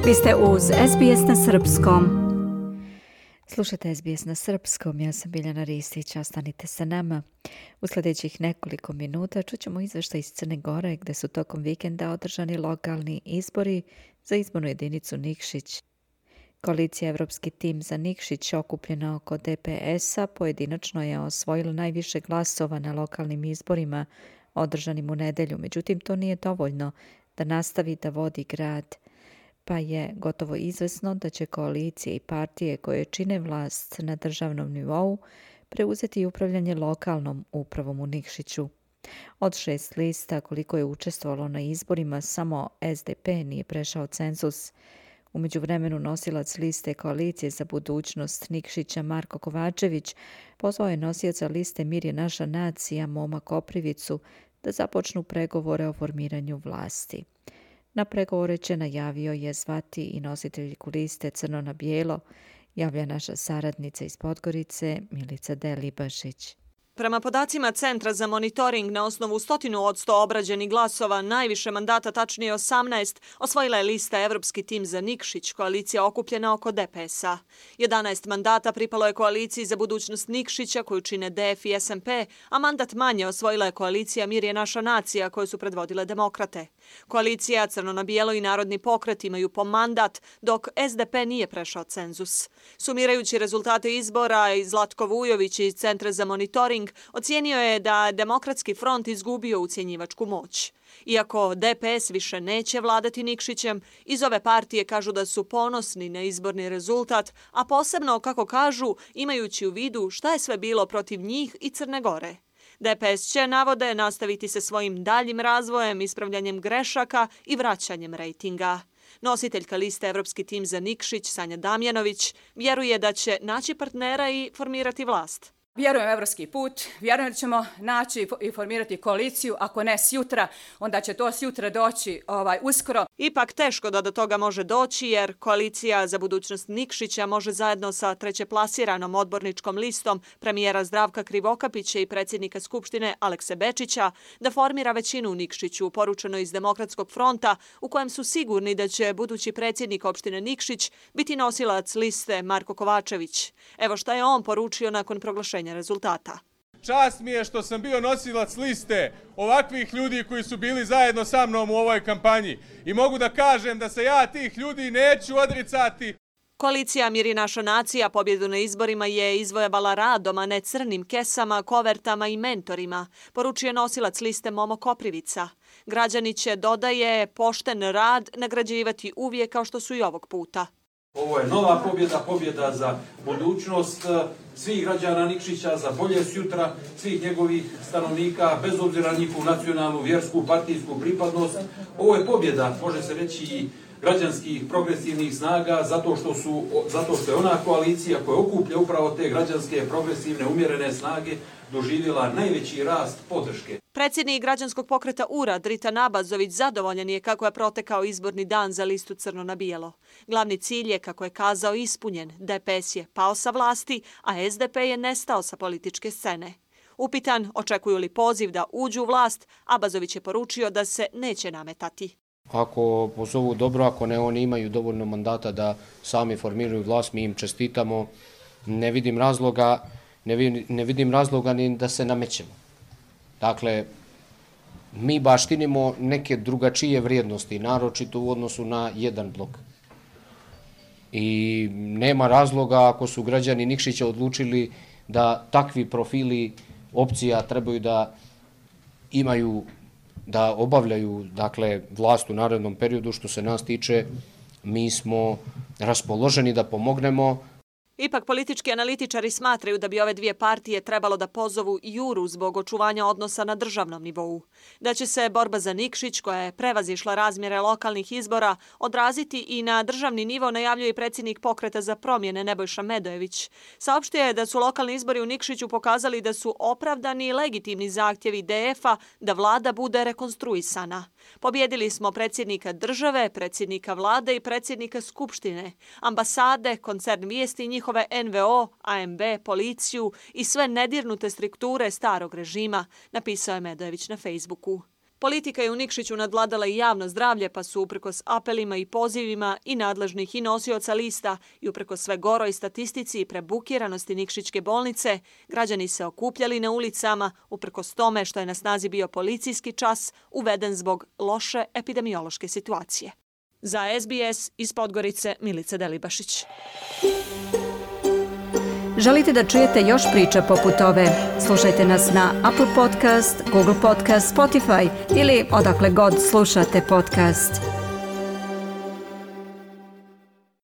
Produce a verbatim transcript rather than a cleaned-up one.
Vi ste uz S B S na srpskom. Slušajte S B S na srpskom, ja sam Biljana Ristić, ostanite sa nama. U sljedećih nekoliko minuta čućemo izveštaj iz Crne Gore gdje su tokom vikenda održani lokalni izbori za izbornu jedinicu Nikšić. Koalicija Evropski tim za Nikšić, okupljena oko D P S-a, pojedinačno je osvojila najviše glasova na lokalnim izborima održanim u nedelju. Međutim, to nije dovoljno da nastavi da vodi grad, pa je gotovo izvesno da će koalicije i partije koje čine vlast na državnom nivou preuzeti upravljanje lokalnom upravom u Nikšiću. Od šest lista koliko je učestvovalo na izborima, samo S D P nije prešao cenzus. U međuvremenu nosilac liste Koalicije za budućnost Nikšića Marko Kovačević pozvao je nosioca liste Mir je naša nacija Moma Koprivicu da započnu pregovore o formiranju vlasti. Na pregovore će, najavio je, zvati i nositeljku liste Crno na bijelo, javlja naša saradnica iz Podgorice Milica Delibašić. Prema podacima Centra za monitoring, na osnovu stotinu od sto obrađenih glasova, najviše mandata, tačnije osamnaest, osvojila je lista Evropski tim za Nikšić, koalicija okupljena oko D P S-a. jedanaest mandata pripalo je koaliciji za budućnost Nikšića, koju čine D F i S N P, a mandat manje osvojila je koalicija Mir je naša nacija, koju su predvodile demokrate. Koalicija Crno na bijelo i Narodni pokret imaju po mandat, dok S D P nije prešao cenzus. Sumirajući rezultate izbora, i Zlatko Vujović iz Centra za monitoring ocijenio je da Demokratski front izgubio ucjenjivačku moć. Iako D P S više neće vladati Nikšićem, iz ove partije kažu da su ponosni na izborni rezultat, a posebno, kako kažu, imajući u vidu šta je sve bilo protiv njih i Crne Gore. D P S će, navode, nastaviti se svojim daljim razvojem, ispravljanjem grešaka i vraćanjem rejtinga. Nositeljka liste Evropski tim za Nikšić, Sanja Damjanović, vjeruje da će naći partnera i formirati vlast. Vjerujem u evropski put, vjerujem da ćemo naći i formirati koaliciju, ako ne sjutra, onda će to sjutra doći ovaj, uskoro. Ipak teško da do toga može doći, jer koalicija za budućnost Nikšića može zajedno sa trećeplasiranom odborničkom listom premijera Zdravka Krivokapića i predsjednika Skupštine Alekse Bečića da formira većinu u Nikšiću, poručeno iz Demokratskog fronta, u kojem su sigurni da će budući predsjednik opštine Nikšić biti nosilac liste Marko Kovačević. Evo šta je on poručio nakon proglašenja rezultata. Čast mi je što sam bio nosilac liste ovakvih ljudi koji su bili zajedno sa mnom u ovoj kampanji i mogu da kažem da se ja tih ljudi neću odricati. Koalicija Mir je naša nacija pobjedu na izborima je izvojevala radom, a ne crnim kesama, kovertama i mentorima, poručuje nosilac liste Momo Koprivica. Građani će, dodaje, pošten rad nagrađivati uvijek kao što su i ovog puta. Ovo je nova pobjeda, pobjeda za budućnost svih građana Nikšića, za bolje sutra svih njegovih stanovnika, bez obzira na njihovu nacionalnu, vjersku, partijsku pripadnost. Ovo je pobjeda, može se reći, i građanskih progresivnih snaga, zato što, su, zato što je ona koalicija koja okuplja upravo te građanske, progresivne, umjerene snage doživjela najveći rast podrške. Predsjednik građanskog pokreta U R A Drita Nabazović zadovoljan je kako je protekao izborni dan za listu Crno na bijelo. Glavni cilj je, kako je kazao, ispunjen. D P S je pao sa vlasti, a S D P je nestao sa političke scene. Upitan očekuju li poziv da uđu u vlast, Abazović je poručio da se neće nametati. Ako pozovu dobro, ako ne, oni imaju dovoljno mandata da sami formiraju vlast, mi im čestitamo. Ne vidim razloga, ne vidim, ne vidim razloga ni da se namećemo. Dakle, mi baštinimo neke drugačije vrijednosti, naročito u odnosu na jedan blok. I nema razloga, ako su građani Nikšića odlučili da takvi profili opcija trebaju da imaju, da obavljaju, dakle, vlast u narednom periodu, što se nas tiče, mi smo raspoloženi da pomognemo. Ipak politički analitičari smatraju da bi ove dvije partije trebalo da pozovu juru zbog očuvanja odnosa na državnom nivou. Da će se borba za Nikšić, koja je prevazišla razmjere lokalnih izbora, odraziti i na državni nivo, najavljuje i predsjednik Pokreta za promjene Nebojša Medojević. Saopštio je da su lokalni izbori u Nikšiću pokazali da su opravdani i legitimni zahtjevi D F-a da vlada bude rekonstruisana. Pobjedili smo predsjednika države, predsjednika vlade i predsjednika skupštine, ambasade, koncern vijesti i njihove N V O, A M B, policiju i sve nedirnute strukture starog režima, napisao je Medojević na Facebooku. Politika je u Nikšiću nadvladala i javno zdravlje, pa su uprkos apelima i pozivima i nadležnih i nosioca lista i uprkos sve goroj statistici i prebukiranosti Nikšićke bolnice, građani se okupljali na ulicama uprkos tome što je na snazi bio policijski čas uveden zbog loše epidemiološke situacije. Za S B S iz Podgorice, Milica Delibašić. Želite da čujete još priča poput ove? Slušajte nas na Apple Podcast, Google Podcast, Spotify ili odakle god slušate podcast.